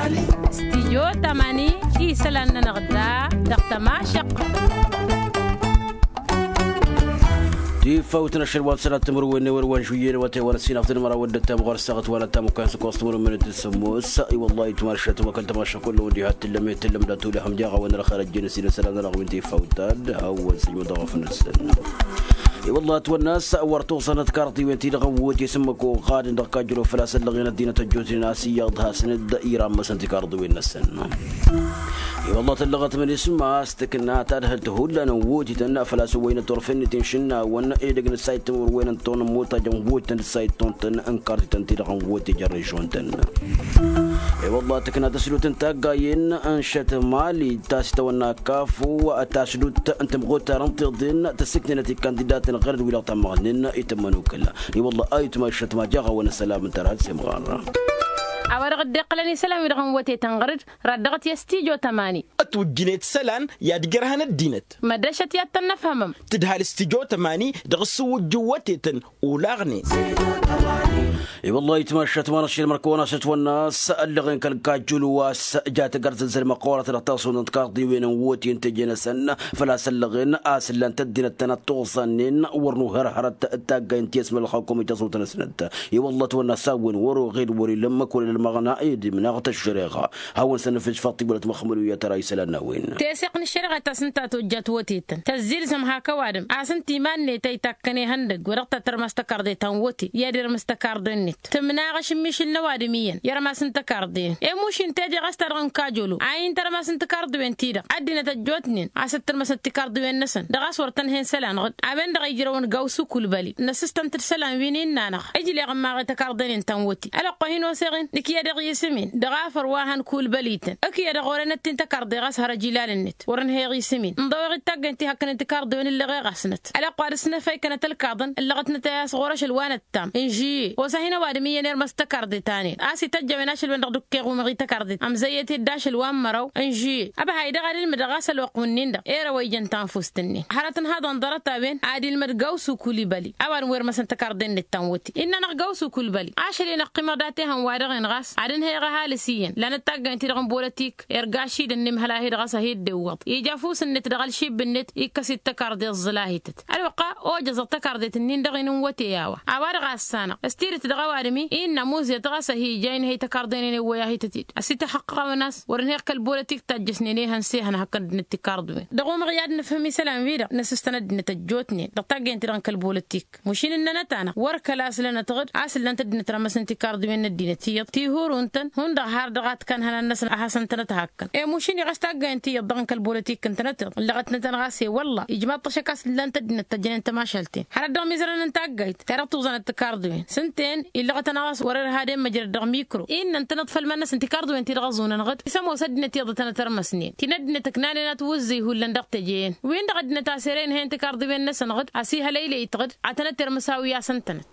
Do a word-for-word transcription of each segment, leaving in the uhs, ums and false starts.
Stijyo tamani isălan-nănăɣ da dăɣ-tămašăqq. Tifawt n-ašăl wa n-sănat timǝrwen n-ewăr wa n-žuyyen wa tewăr ăssinăɣ tǝnmăra wăddăt tamɣăr s-taɣăt wa n-ăttam ukan s-ăkkoẓ timǝrwen n-tǝssǝmmos. I-wăllah itmar šăt wa kăl-tămašăqq kull-wen diha t-tǝllăm i-tǝllăm d-atulăhăm jaɣ a-wen ărxăr ăjjeen ăsinăsălan ănăɣ wi n-tifawt ad-hawăn sǝjmǝd ăɣăf-năsăn. I-wăllah ătwănna a-s wăr tuẓanăt karḍiwen-ti-dăɣ n-wăt i-sǝmmăk oɣadăn dăɣ-kajjălo făl-a-s ăllăɣen ăddinăt ăjjootnen a-s iyyăḍ hasăn-dd irammasăn tikarḍiwen-năsăn. I-wăllah tăllăɣăt mănisma a-s tǝkna tadhǝlt hullan n-wăt-ităn făl-a-s ăwwăynăt turfen-net inšǝnnawăn edăgg n-ǝssayǝt timǝrwen n-ton n-imuttaj n-wăt-ităn d-ǝssayǝt ton-tăn n-karḍităn-ti-dăɣ n-wăt ija n-režion-tăn. I-wăllah tǝkna tăsdut n-taggayen n-šăt mali ta s-itawănna kafu tasdut n-timɣutar n-tiḍen tǝssǝknenăt ikandidatăn ɣer-dd wi-dăɣ tammăɣnen itǝmmăn ukǝl. I-wălla ayǝtma iššăt ma jaɣ-awăn ăssălam n-tărhăt s-imɣar. A-wa dăɣ-dd-iqqălăn isălan-wi-dăɣ n-wătetăn ɣăr-dd rad-dăɣ-t i-ăstijjo tămani. Ătwǝjjǝnet isălan i-ad-ǝjrăhăn ăddinăt. Mădrăšăt i-ad-tăn-năfhămăm. Tǝdhal ăstijjo tămani dăɣ-ǝssǝwǝjjǝw wătetăn olaɣnen. I-wălla ayǝtma iššăt ma n-aššil măr-kăwăn-asǝtwănna a-s ăllăɣen kăl-kajjul wa s-ja tăgărzăzzăl măqqoorăt dăɣ-taswăḍăn tikarḍiwen n-wăten teje-năsăn. Făl-a-s ăllăɣen a-s ǝllan-t ăddinăt tănăt tuẓannen wăr nuhărhărăt d-taggay n-ti-ăsmălălxăkum i-tăẓut-năsnăt. I-wălla ătwănna a-s a-wen wăr-oɣed wăr-ilăm ăkk wăr-ilăm aɣna edimnăɣ tăššăreɣa. Hawăn-săn nǝfǝj faḍt-i wălăt măxmăl wi ad-tăra isălan n-a-wen. Teseɣt n-ăššăreɣa ta s-ǝnta tojjat wătetăn tăzzilzăm hak ăwadǝm a-s ǝnta iman-net a itakk ănihăndăgg wa dăɣ-tătărmas tăkarḍe ta n-wăte i-ad-irmǝs tăkarḍe-net. Tǝmnaɣ ašǝmmišǝl n-ăwadǝm iyyăn i-rămas n-tăkarḍe-en. Emuš-in teje ɣas ta dăɣ-n kajolo a intărmas n-tikarḍiwen-ti-dăɣ ăddinăt ăjjootnen a-s dd-tǝrmăsăt tikarḍiwen-năsăn dăɣ-a-s wăr tăn-hen isălan ɣǝd. A-wen-dăɣ a ijrăwăn gawsu kulbăli năsǝstăn-t d-isălan wi n-innanăɣ ǝjleɣ n-maɣe tăkarḍen-in ta n-wăte. Ălwăqq wa hin-osăɣ-in nǝkyăd iɣisǝm-in dăɣ-afăr wa hăn kulbăli-tăn. Ǝkyădăɣ orănăt-in tăkarḍe ɣas hărăj ilal-net wăr-ǝnhăyăɣ isǝm-in ǝnḍăwăɣ-dd taggăyăn ti hakkăn n-tikarḍiwen ǝllăɣeɣ-asnăt. Ălwăqq wa dăɣ-s năfăy kănăt ălkaḍăn ǝllăɣătnăt a-s ɣur-ašăl wa năt tam n-žuyye osa hin-ăwadǝm iyyăn irmăs tăkarḍe-tanen a-s ităjj a-wen ašăl-wen-dăɣ dd-ǝkkeɣ umăɣ i-tăkarḍe amzăyyăt-dd ašăl wa n-măraw n-žuyye. Ăbhay-dăɣ ad-ǝlmǝdăɣ ɣas ălwăqq wǝnnin-dăɣ ere wa ijăn tanfust-nin hărăt ǝnhaḍăn ḍarăt-a-wen ad-ilmăd gawsu kulbăli. Ăwadǝm wi ărmăsăn tăkarḍe-net ta n-wăte innă-năɣ gawsu kulbăli ašăl-i năqqimăɣ dat-ehăn-wa-dăɣ-en ɣas ad-ǝnhăyăɣ ăhalǝs iyyăn lanăt taggăyăn-ti-dăɣ n-bolătik irgašidăn n-imhăl-ahi-dăɣ a-s ăhiddewwăḍ ija afus-net dăɣ-ălšib-net ikkăs-dd tăkarḍe ǝẓẓǝl-ahităt. Ălwăqq a ojăẓăɣ tăkarḍet-ǝnnin-dăɣ-in n-wăte a-wa a-wa-dăɣ a ăssanăɣ s-tidǝt dăɣ-ăwadǝm-i innă ămuzǝyăt ɣas ăhija inhăy tăkarḍen-in ewwăy-ahităt-dd ăsităxăqqăɣ-awăn a-s wăr-ǝnhăyăɣ kăl-bolătik tajjăsnen ehăn s-ehăn hakd-net tikarḍiwen. Dăɣ-umăɣ i-ad-nǝfhǝm isălan-wi-dăɣ năsǝstăn ăddinăt ăjjootnen dăɣ-taggăyăn-ti-dăɣ n-kăl-bolătik. Mašin ǝnnănăt-anăɣ wăr kăla a-s lănăt ɣǝd a-s ǝllan-t ăddinăt rămăsăn tikarḍiwen n-ăddinăt iyyăḍ tihurun-tăn hundăɣ har dăɣ-ad-t-kănhănăn-năsăn a hasăn-tănăt hakkăn. I-mušin-i ɣas taggayăn ti iyyăḍ dăɣ-n kăl-bolătik ǝntănăt-iḍ ǝllăɣătnăt-tăn ɣas i-wălla ijmaḍ-t ašăk a-s ǝllan-t ăddinăt tăjjănen tămašalt-en hărăt dăɣ-mizărăn n-taggayt ta dăɣ-tuẓanăt tikarḍiwen s-ǝnta-en illăɣăt-anăɣ a-s wăr-irhad i-măjrăd dăɣ-mikro. Innă ǝntănăḍ făll-iman-năsăn tikarḍiwen ti-dăɣ ăẓunăn ɣǝd isămoos ăddinăt iyyăḍ ad-tănăt-ărmăsnen ti n-ăddinăt ǝknanen ad-t-wǝzzǝy hullan dăɣ-teje-en. Win-dăɣ ăddinăt a-s ere inhăyăn tikarḍiwen-năsăn ɣǝd ăsihălăylăy-t ɣǝd ad-tănăt-irmǝs a-wi a-s ǝntănăt.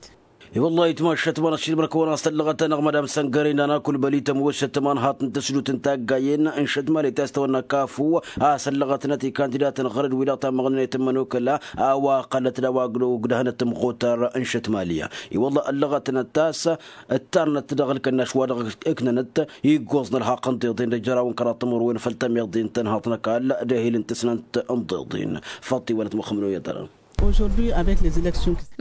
I-wăllah itmašat ma n-ašilmăr kăwăn-as-tăllăɣăt-anăɣ madam săngăre n-ana kulbăli tămoosăt tămanhaḍt n-tǝsdut n-taggayen n-šătmali ta s-tăwănna kafu a-s ăllăɣătnăt ikandidatăn ɣăr-dd wi-dăɣ tammăɣnen i-tǝmmăn okăla. A-wa ǝqqălăt d-a-wa ăgdăhnăt tǝmɣutar n-šătmali. I-wăllah ăllăɣătnăt a-s ǝttarnăt dăɣ-ǝlkănnaš wa dăɣ-ǝknănăt iggoẓ n-ălxaqq n-tiḍen d-ejăraw n-kăraḍ timǝrwen făll-tămiḍe n-tănhaḍt n-ăkall d-ehil n-tǝsnant n-tiḍen. Făṭṭi wălăt măxmăl oyăt ăra.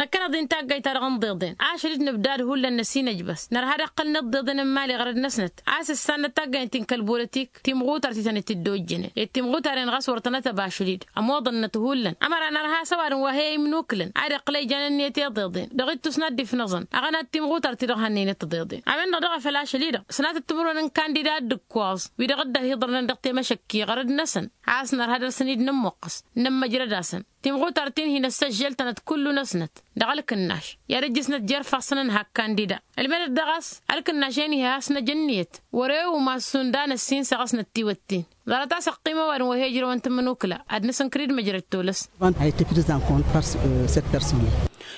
Năkkăneḍ-i n-taggayt-ta-dăɣ n-tiḍen ašăl-dd nǝbdad hullan năsinăjbas nărha ad-ăqqălnăt tiḍen n-imali ɣărăd-năsnăt. A-s ǝssan-năt taggayt-in kăl-bolătik timɣutar ti tăn-dd-tǝddojjănen i-timɣutaren ɣas wăr tănăt-ăbašăl-dd. Ămoḍănnăt hullan ămăra nărha a-s ăwadǝm wa he-imnukǝlăn ad-iqqǝl ija n-ǝnniyăt i-tiḍen dăɣ-ittus n-ad-dd-ifnăẓăn aɣăna d-timɣutar-ti-dăɣ hannăynăt tiḍeḍen. A-wen-dăɣ daɣ a făl ašăl-i-dăɣ sănatăt timǝrwen n-kandida d-ǝkkoẓ wi-dăɣ dd-ăhiḍărnen dăɣ-temăšăkki ɣărăd-năsăn. A-s nărha ad-dăr-săn-dd-nămmuqqăs nămmăjrăd-asăn timɣutar ti n-hin-ăssăžžăl-tănăt kullu-năsnăt dăɣ-ălkǝnnaš i-ad-ǝjjǝsnăt jer-ifassăn n-hak kandida. Ǝlmedăt daɣ a-s ălkǝnnaš-en iha a-s năj ǝnniyăt wăr-e umas šund a năssinsăɣ a-s năttiwăt-in. Ḍarăt a-s ăqqim ăwadǝm wa he-ǝjrăwăn tǝmmǝnukǝla ad-nǝsǝnkǝr-dd măjrăd tolăs. Van a été prise en compte par cette personne.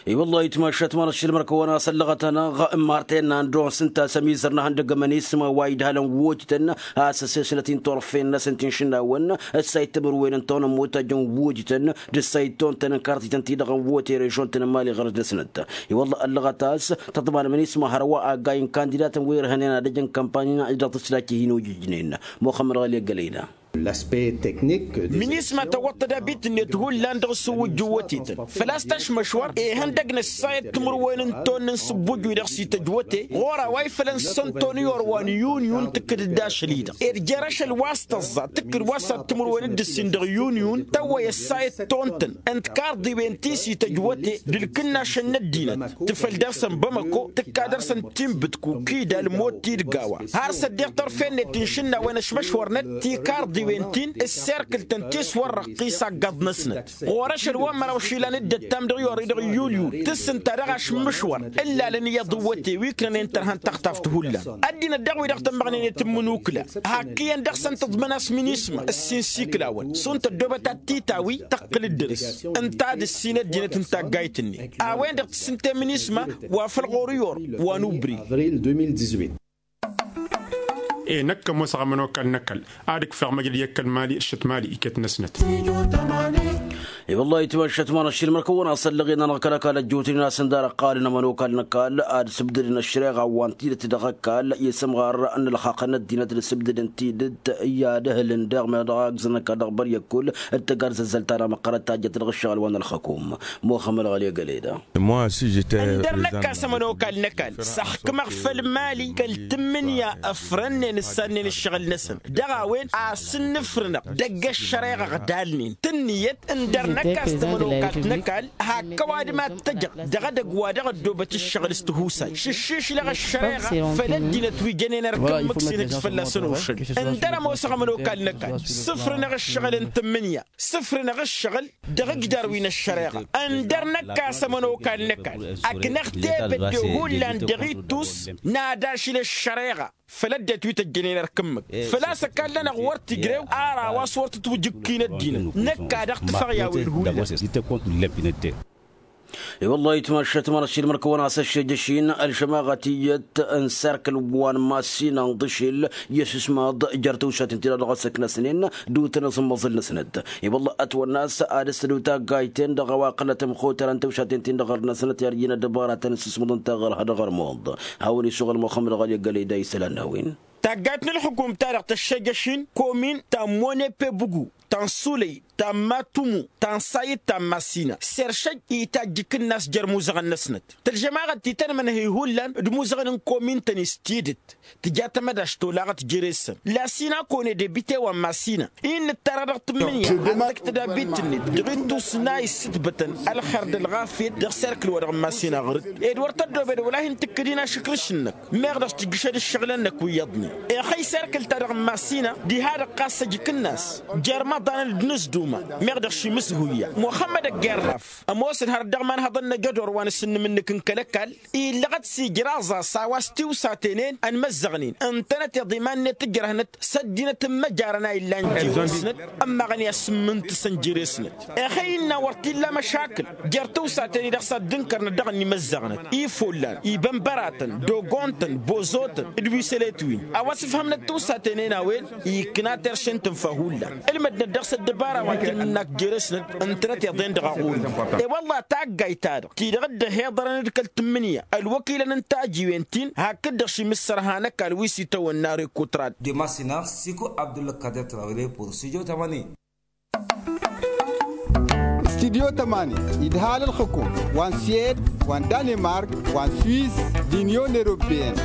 I-wăllah itmašat măr-ăššilmăr-kăwăn a-s ăllăɣăt-anăɣ, marten n-anduɣ s-ǝnta a-s ămizăr n-ehăndăg ămănisma wa idhalăn wojtăn a-s ăssesnăt-in turfen-năsăn ti n-išǝnnawăn ǝssayǝt timǝrwen n-tăwăn ămmotajăn wojtăn d-ǝssayǝt tontăn n-kartităn-ti-dăɣ n-wote režon-tăn n-mali ɣărăs-năsnăt. I-wăllah ăllăɣăt a-s tăḍman ămănisma hărwa aggay n-kandidatăn wi ărhănen ad-ăjăn kămpani-năɣ-i dăɣ-tǝslajt ti hin-ojǝjnen. Muxămmăd ɣăli ăggălăyna. Minisma tăwwăḍ tădabit-net hullan dăɣ-s ǝwwǝjjǝw wătetăn făl-a-s tašmăšwăr ihăndăg n-ăssayăt timǝrwen n-tonnăn s-ǝbbujju-i-dăɣ s-ităjj wăte ɣur-a-wa ifălăn sănton i-orwa n-yun-yun tǝkkǝd-dd ašăl-i-dăɣ ed jer-ašăl wa s-tăẓẓa tǝkkǝd wa s-ad-timǝrwen dd-ǝssin dăɣ-yun-yun tăwwăy ăssayăt tontăn ǝnta karḍiwen ti s-ităjj wăte d-ǝlkǝnnašăn n-ăddinăt tǝfăl dăr-săn bamăko tǝkka dăr-săn timbǝt kukida ălmot-i d-gawa har s-ăddiɣ tărfen-net n-išǝnnawăn ăšmăšwărnăt tikarḍiwen-tin ǝsserkǝl-tăn tiswărrăɣt ti s-aggăḍ-năsnăt ɣur-ašăl wa n-măraw išilan d-ăttam dăɣ-yori dăɣ-yul-yul tǝssǝnta dăɣ-ašǝmmǝšwăr ǝllalăn iyyăḍ n-wăte wi ǝknănen tărha n-taxtaft hullan ăddinăt daɣ-wi-dăɣ tămmăɣnen i-tǝmmǝnukǝla hakk iyyăn dăɣ-săn tǝḍmăn a-s minisma ǝssin s-iklawăn šund tăddoobăt ad-t-tawi tăqqǝl dd-dăr-s ǝnta ad-ǝssin ăddinăt n-taggayt-net a-wen-dăɣ tǝssǝnte minisma wa făl ɣur-i or wa n-ubri. E-năkk ămoosăɣ ămănokal n-ăkall ad-ǝkfeɣ măjrăd i-ăkall mali ǝššăt mali iket-năsnăt. I-wăllah itmăššăt mănăššil măr-kăwăn-asăllăɣ-in-anăɣ kăl-ăkall ăjjootnen a-s ǝndar ăqqalăn ămănokal n-ăkall ad-sǝbdǝdăn ăššăreɣa wa n-tidǝt dăɣ-ăkall i-sǝmɣar n-ălxaqq n-ăddinăt d-asǝbdǝdăn tidǝt i-ad-ehǝlăn daɣ meɣ dăɣ-agzăn ăkall dăɣ-băryăkkul d-tăggarzăzzălt ta n-amăqqărăt tajjăt dăɣ-ǝššăɣǝl wa n-ălxăkum. Muxămăl ɣăli ăgăleda. Ǝndăr năkk a-s ămănokal n-ăkall s-ăxkǝmăɣ făll-mali kăl-tǝmmǝnǝya ăfrănnen ǝssannen ǝššăɣǝl-năsăn dăɣ-a-wen a-s ǝnnǝfrǝnăɣ dăgg-ăššăreɣa ăɣdalnen tǝnniyăt ǝndăr năkk a-s tămănokalt n-ăkall hakk ăwadǝm ad-t-ăjăɣ dăɣ-edăgg wa dăɣ-ăddoobăt ǝššăɣǝl s-tihusay šǝššišlăɣ ăššăreɣa făll-ăddinăt wi jănen ărkǝmmǝk s-inǝj fălla-săn ošăl. Ǝndăr ămoosăɣ ămănokal n-ăkall sǝfrǝnăɣ ǝššăɣǝl n-tǝmmǝnǝya sǝfrǝnăɣ ǝššăɣǝl dăɣ-ǝjdar wi n-ăššăreɣa. Ǝndăr năkk a-s ămănokal n-ăkall ăknăɣ tebădde hullan dăɣ-ittus n-ad-ašǝl ăššăreɣa făll-ăddinăt wi tăjjănen ărkǝmmǝk făl-a-s ăkall-nănăɣ wăr t-ijrew ar a-wa s-wăr tǝtwǝjǝkki n-ăddinăt. Năkk a dăɣ-tǝfăɣ i-a-wen hullan. I-wăllah itmăššăt mănăššil măr-kăwăn-asăššejăš-in ălšămaɣăt iyyăt n-serkǝl wa n-massina n-ḍǝšil i-ăsǝsmaḍ jer-tawsaten ti-dăɣ dăɣ-s ǝknăsnen d-utăn aẓǝmmăẓǝl-năsnăt. I-wălla ătwănna a-s ad-ǝssǝdǝw taggayt-ten-dăɣ a-wa ăqqălăt ămxotărăn tawsaten-tin-dăɣ ɣur-năsnăt i-ad-ijnă ăddăbaratăn s-ǝsmăḍăn taɣărha dăɣ-ărmuḍ. Hawăn-isuɣǝl muxămmăd ɣali ăggălăy da isălan n-a-wen. Taggayt n-ǝlxǝkum-ta-dăɣ tăššejăš-in komin ta n-monepe bǝgu ta n-sulăy ta n-matumu ta n-sayǝd ta n-massina seršăj itajj ikǝnnas jer-imuzăɣăn-năsnăt tălžămaɣăt ti tăn-mănhăy hullan d-imuzăɣăn n-komin-tăn-i s-tidǝt. Tǝja tamădašt olaɣăt jere-săn lasina kone debite wa n-masina-i n-nǝttarăɣ dăɣ-tǝmmǝnǝya ad-tǝktăd abit-net dăɣ-ittus n-a issǝtbătăn ălxer d-ălɣafyăt dăɣ-serkǝl-wa-dăɣ n-masina ɣur-dd ed wăr tăddoobed wăla hin-tǝkkǝd-in ašǝkrǝš-năk meɣ dăɣ-s tǝjjǝšăd ǝššăɣǝlăn-năk wi iyyăḍnen. Exăy serkǝl-ta-dăɣ n-masina diha-dăɣ ɣas ăj ikǝnnas jer-imăḍanăn d-inǝzduma meɣ dăɣ-ši imǝshuya muxămmăd ăggerraf. Ămoosăn hărăt dăɣ-imanhăḍăn n-ajădor wa n-asǝnnǝm-năk n-kăl-ăkall illăɣăt s-ijraẓ a-s a-wa s-tiwsaten-en ănmăzzăɣnen ǝntănăt iḍa iman-net ǝjrăhnăt s-ăddinăt n-imăjarăn a illan jer-osnăt. Ămmaɣăn i-asǝmmǝntǝsăn jere-snăt exăy innă wăr t-illa măšakǝl jer-tiwsaten-i-dăɣ s-ad-dd-ǝnkărnăt dăɣ-ănnimăzzăɣnăt ifollan ibănbăratăn d-ogontăn bozotăn d-wisălet-win a-wa s-ǝfhămnăt tiwsaten-en a-wen. Ikna terše n-tǝnfa hullan ǝlmădnăt dăɣ-s ăddăbara wa n-tǝlmǝnnak jere-snăt ǝntănăt iḍen dăɣ-aɣurǝm. I-wălla taggayt-ta-dăɣ ti-dăɣ dd-ăhiḍărăn d-kăl-tǝmmǝnǝya ălwăkilăn n-tajiwen-tin hakd-dăɣ šimǝssărha n-ăkall wi s-itawănna rekutrad. De masina siku abdulkadir trawile pur studio tamani. Studio tamani idhal ǝlxǝkum wa n-siyed wa n-danemark wa n-swiss d-inyon eropeyăn.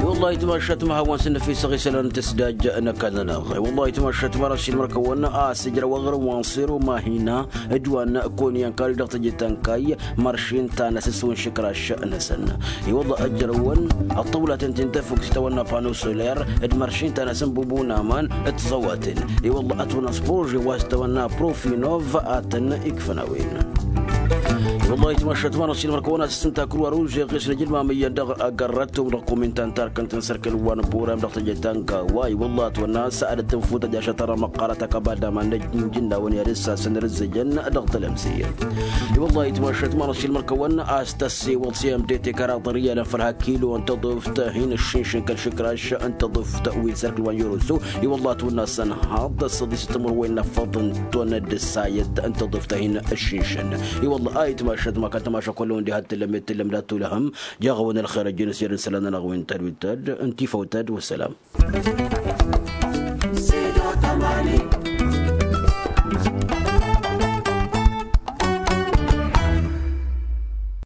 I-wăllah itmašat ma hawăn-săn năfisăɣ isălan n-tǝsdaj n-ăkall-nănăɣ i-wăllah itmašat ma răshin mărkăwăn a-s ǝjrăw aɣrǝm wa n-sero mahina d-wa n-konyăn kari dăɣ-tejǝt ănkay măršin ta n-asǝswǝn šǝkraš-năsăn. I-wăllah ǝjrăwăn ăṭṭăwlaten ti n-tefuk s-itawănna pano soler d-măršin ta n-asǝnbubun aman d-tiẓăwaten. I-wăllah ătwănna s-prože wa s-itawănna profinov a tăn-ikfăn a-wen. Wăllah itmašat ma n-ašil mărkăwăn a-s s-tǝnta kruwa ruže ɣisnăj ǝlmamăyyăn dăɣ-agărrăt tum dăɣ-kumintan tarkăn-tăn sărkăl wa n-buram dăɣ-tejăt tanka wa i-wăllah ătwănna s-ad-tǝnfutăj ašăt ara măqqarăt akăbal d-aman n-ajǝnnawăn i-ad-ǝssasăn rǝzzăjăn dăɣ-tălămse. I-wăllah itmašat ma n-ašil mărkăwăn a-s tăssewăḍ s-i ămdete kăraḍăr iyyălăn făll-ha kilo n-tăḍuft hin-ǝššǝnšǝn kăl-išǝkraš n-tăḍuft wi n-sărkǝl wa n-jăroso. I-wăllah ătwănna s-ănhaḍ s-ăḍisăt timǝrwen n-afăḍ n-tonnăt d-ǝssayăt n-tăḍuft-a hin-ǝššǝnšǝn. I-wăllah a itmašat ma kăn tămaša kull-wen diha t-tǝllăm i-t-tǝllăm dat-tulăhăm. Jaɣ-awăn ălxer ăjjǝn s-iyyăr n-isălan-nănăɣ wi n-tadwit tădd n-tifăw tădd wăssalam.